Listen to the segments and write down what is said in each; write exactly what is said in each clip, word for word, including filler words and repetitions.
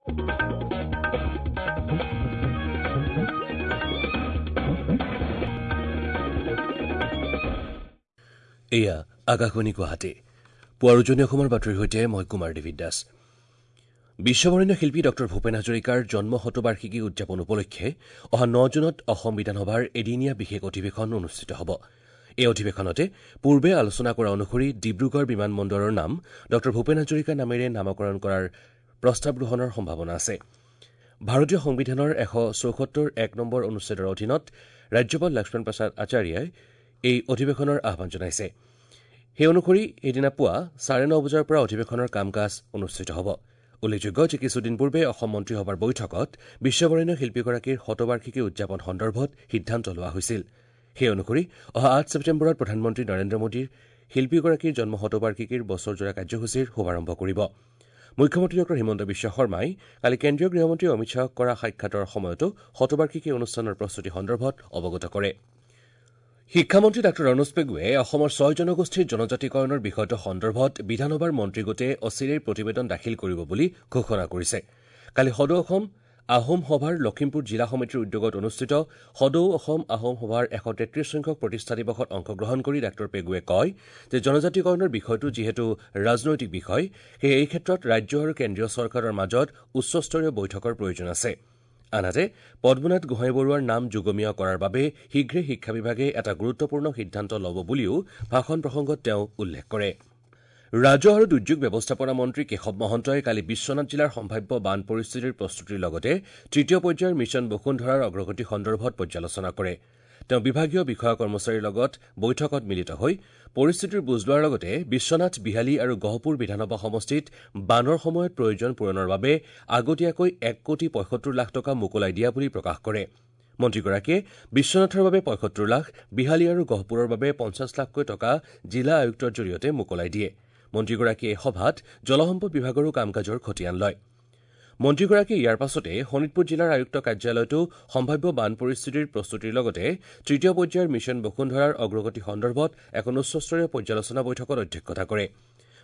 এয়া আকাশবাণী গুৱাহাটী। পুৱাৰ উজনি অসমৰ বাতৰিৰ সৈতে মই কুমাৰ দেৱী দাস। বিশ্ববৰেণ্য শিল্পী ডক্টৰ ভূপেন হাজৰিকাৰ জন্ম শতবাৰ্ষিকী উদযাপন উপলক্ষে অহা ন জুনত অসম বিধানসভাৰ এদিনীয়া বিশেষ অধিৱেশন অনুষ্ঠিত হ'ব। এই অধিৱেশনতে পূৰ্বে আলোচনা কৰা অনুসৰি ডিব্ৰুগড় বিমানবন্দৰৰ নাম ডক্টৰ ভূপেন হাজৰিকাৰ নামেৰে নামকৰণ কৰাৰ প্ৰস্তাৱ গ্ৰহণৰ সম্ভাৱনা আছে। ভাৰতীয় সংবিধানৰ এশ চৌসত্তৰ এক নম্বৰ অনুচ্ছেদৰ অধীনত ৰাজ্যপাল লক্ষ্মণ প্ৰসাদ আচাৰ্যই এই অধিৱেশনৰ আহ্বান জনাইছে। সেই অনুসৰি সেইদিনা পুৱা চাৰে ন বজাৰ পৰা অধিৱেশনৰ কাম কাজ অনুষ্ঠিত হ'ব। উল্লেখযোগ্য যে কিছুদিন পূৰ্বে অসম মন্ত্ৰীসভাৰ বৈঠকত বিশ্ববৰেণ্য শিল্পীগৰাকীৰ শতবাৰ্ষিকী উদযাপন সন্দৰ্ভত সিদ্ধান্ত লোৱা হৈছিল। সেই অনুসৰি অহা আঠ ছেপ্টেম্বৰত প্ৰধানমন্ত্ৰী নৰেন্দ্ৰ মোদীৰ শিল্পীগৰাকীৰ জন্ম শতবাৰ্ষিকীৰ বছৰজোৰা কাৰ্যসূচীৰ শুভাৰম্ভ কৰিব। মুখ্যমন্ত্ৰী ডক্টৰ হিমন্ত বিশ্ব শৰ্মাই কালি কেন্দ্ৰীয় গৃহমন্ত্ৰী অমিত শ্বাহক কৰা সাক্ষাতৰ সময়তো শতবাৰ্ষিকী অনুষ্ঠানৰ প্ৰস্তুতি সন্দৰ্ভত অৱগত কৰে। শিক্ষামন্ত্ৰী ডাঃ ৰণোজ পেগুৱে অসমৰ ছয় জনগোষ্ঠীৰ জনজাতিকৰণৰ বিষয়টো সন্দৰ্ভত বিধানসভাৰ মন্ত্ৰীগোটে অচিৰেই প্ৰতিবেদন দাখিল কৰিব বুলি ঘোষণা কৰিছে। কালি সদৌ অসম আহোম সভাৰ লখিমপুৰ জিলা সমিতিৰ উদ্যোগত অনুষ্ঠিত সদৌ অসম আহোম সভাৰ এশ তেত্ৰিশ সংখ্যক প্ৰতিষ্ঠা দিৱসত অংশগ্ৰহণ কৰি ডাঃ পেগুৱে কয় যে জনজাতিকৰণৰ বিষয়টো যিহেতু ৰাজনৈতিক বিষয়, সেয়ে এই ক্ষেত্ৰত ৰাজ্য আৰু কেন্দ্ৰীয় চৰকাৰৰ মাজত উচ্চস্তৰীয় বৈঠকৰ প্ৰয়োজন আছে। আনহাতে পদ্মনাথ গোহাঁই বৰুৱাৰ নাম যুগমীয়া কৰাৰ বাবে শীঘ্ৰে শিক্ষা বিভাগে এটা গুৰুত্বপূৰ্ণ সিদ্ধান্ত ল'ব বুলিও ভাষণ প্ৰসংগত তেওঁ উল্লেখ কৰে। ৰাজহ আৰু দুৰ্যোগ ব্যৱস্থাপনা মন্ত্ৰী কেশৱ মহন্তই কালি বিশ্বনাথ জিলাৰ সম্ভাৱ্য বান পৰিস্থিতিৰ প্ৰস্তুতিৰ লগতে তৃতীয় পৰ্যায়ৰ মিছন বসুন্ধৰাৰ অগ্ৰগতি সন্দৰ্ভত পৰ্যালোচনা কৰে। তেওঁ বিভাগীয় বিষয়া কৰ্মচাৰীৰ লগত বৈঠকত মিলিত হৈ পৰিস্থিতিৰ বুজ লোৱাৰ লগতে বিশ্বনাথ, বিহালী আৰু গহপুৰ বিধানসভা সমষ্টিত বানৰ সময়ত প্ৰয়োজন পূৰণৰ বাবে আগতীয়াকৈ এক কোটি পঁয়সত্তৰ লাখ টকা মোকলাই দিয়া বুলি প্ৰকাশ কৰে। মন্ত্ৰীগৰাকীয়ে বিশ্বনাথৰ বাবে পঁয়সত্তৰ লাখ, বিহালী আৰু গহপুৰৰ বাবে পঞ্চাছ লাখকৈ টকা জিলা আয়ুক্তৰ জৰিয়তে মোকলাই দিয়ে। মন্ত্ৰীগৰাকীয়ে সভাত জলসম্পদ বিভাগৰো কাম কাজৰ খতিয়ান লয়। মন্ত্ৰীগৰাকীয়ে ইয়াৰ পাছতে শোণিতপুৰ জিলাৰ আয়ুক্ত কাৰ্যালয়তো সম্ভাৱ্য বান পৰিস্থিতিৰ প্ৰস্তুতিৰ লগতে তৃতীয় পৰ্যায়ৰ মিছন বসুন্ধৰাৰ অগ্ৰগতি সন্দৰ্ভত এখন উচ্চস্তৰীয় পৰ্যালোচনা বৈঠকত অধ্যক্ষতা কৰে।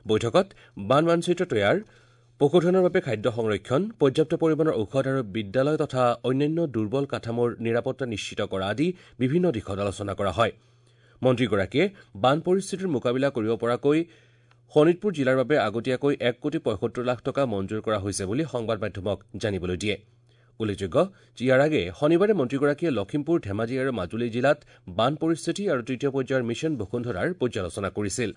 বৈঠকত বান মানচিত্ৰ তৈয়াৰ, পশুধনৰ বাবে খাদ্য সংৰক্ষণ, পৰ্যাপ্ত পৰিমাণৰ ঔষধ আৰু বিদ্যালয় তথা অন্যান্য দুৰ্বল কাঠামোৰ নিৰাপত্তা নিশ্চিত কৰা আদি বিভিন্ন দিশত আলোচনা কৰা হয়। মন্ত্ৰীগৰাকীয়ে বান পৰিস্থিতিৰ মোকাবিলা কৰিব পৰাকৈ শোণিতপুৰ জিলাৰ বাবে আগতীয়াকৈ এক কোটি পঁয়সত্তৰ লাখ টকা মঞ্জুৰ কৰা হৈছে বুলি সংবাদ মাধ্যমক জানিবলৈ দিয়ে। উল্লেখযোগ্য যে ইয়াৰ আগেয়ে শনিবাৰে মন্ত্ৰীগৰাকীয়ে লখিমপুৰ, ধেমাজি আৰু মাজুলী জিলাত বান পৰিস্থিতি আৰু তৃতীয় পৰ্যায়ৰ মিছন বসুন্ধৰাৰ পৰ্যালোচনা কৰিছিল।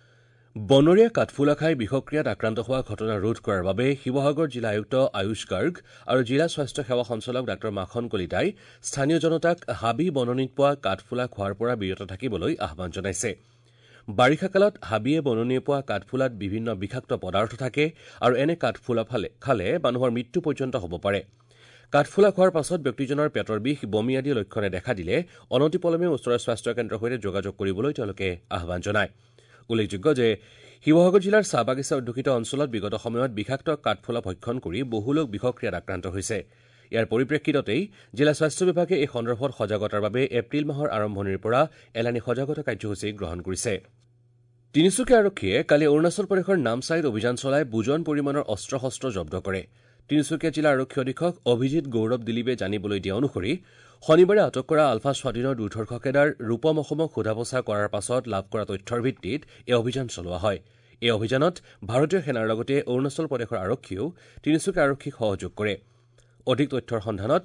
বনৰীয়া কাঠফুলা খাই বিষক্ৰিয়াত আক্ৰান্ত হোৱা ঘটনা ৰোধ কৰাৰ বাবে শিৱসাগৰ জিলা আয়ুক্ত আয়ুষ গাৰ্গ আৰু জিলা স্বাস্থ্য সেৱা সঞ্চালক ডাঃ মাখন কলিতাই স্থানীয় জনতাক হাবি বননিত পোৱা কাঠফুলা খোৱাৰ পৰা বিৰত থাকিবলৈ আহ্বান জনাইছে। বাৰিষা কালত হাবিয়ে বননিয়ে পোৱা কাঠফুলাত বিভিন্ন বিষাক্ত পদাৰ্থ থাকে আৰু এনে কাঠফুলা খালে মানুহৰ মৃত্যু পৰ্যন্ত হ'ব পাৰে। কাঠফুলা খোৱাৰ পাছত ব্যক্তিজনৰ পেটৰ বিষ, বমি আদি লক্ষণে দেখা দিলে অনতিপলমে ওচৰৰ স্বাস্থ্য কেন্দ্ৰৰ সৈতে যোগাযোগ কৰিবলৈ তেওঁলোকে আহ্বান জনায়। উল্লেখযোগ্য যে শিৱসাগৰ জিলাৰ চাহ বাগিচা অধ্যুষিত অঞ্চলত বিগত সময়ত বিষাক্ত কাঠফুলা ভক্ষণ কৰি বহু লোক বিষক্ৰিয়াত আক্ৰান্ত হৈছে। ইয়াৰ পৰিপ্ৰেক্ষিততেই জিলা স্বাস্থ্য বিভাগে এই সন্দৰ্ভত সজাগতাৰ বাবে এপ্ৰিল মাহৰ আৰম্ভণিৰ পৰা এলানি সজাগতা কাৰ্যসূচী গ্ৰহণ কৰিছে। তিনিচুকীয়া আৰক্ষীয়ে কালি অৰুণাচল প্ৰদেশৰ নামচাইত অভিযান চলাই বুজন পৰিমাণৰ অস্ত্ৰ শস্ত্ৰ জব্দ কৰে। তিনিচুকীয়া জিলা আৰক্ষী অধীক্ষক অভিজিৎ গৌৰৱ দিলীপে জানিবলৈ দিয়া অনুসৰি শনিবাৰে আটক কৰা আলফা স্বাধীনৰ দুৰ্ধৰ্ষ কেডাৰ ৰূপম অসমক সোধা পোছা কৰাৰ পাছত লাভ কৰা তথ্যৰ ভিত্তিত এই অভিযান চলোৱা হয়। এই অভিযানত ভাৰতীয় সেনাৰ লগতে অৰুণাচল প্ৰদেশৰ আৰক্ষীয়েও তিনিচুকীয়া আৰক্ষীক সহযোগ কৰে। অধিক তথ্যৰ সন্ধানত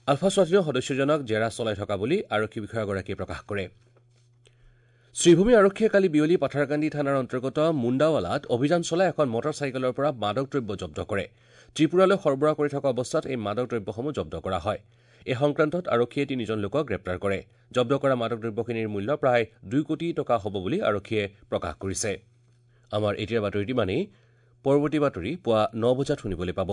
আলফা স্বাধীনৰ সদস্যজনক জেৰা চলাই থকা বুলি আৰক্ষী বিষয়াগৰাকীয়ে প্ৰকাশ কৰে। শ্ৰীভূমি আৰক্ষীয়ে কালি বিয়লি পাথাৰকান্দি থানাৰ অন্তৰ্গত মুণ্ডাৱালাত অভিযান চলাই এখন মটৰ চাইকেলৰ পৰা মাদক দ্ৰব্য জব্দ কৰে। ত্ৰিপুৰালৈ সৰবৰাহ কৰি থকা অৱস্থাত এই মাদক দ্ৰব্যসমূহ জব্দ কৰা হয়। এই সংক্ৰান্তত আৰক্ষীয়ে তিনিজন লোকক গ্ৰেপ্তাৰ কৰে। জব্দ কৰা মাদক দ্ৰব্যখিনিৰ মূল্য প্ৰায় দুই কোটি টকা হ'ব বুলি আৰক্ষীয়ে প্ৰকাশ কৰিছে। আমাৰ এতিয়াৰ বাতৰিটো ইমানেই। পৰৱৰ্তী বাতৰি পুৱা ন বজাত শুনিবলৈ পাব।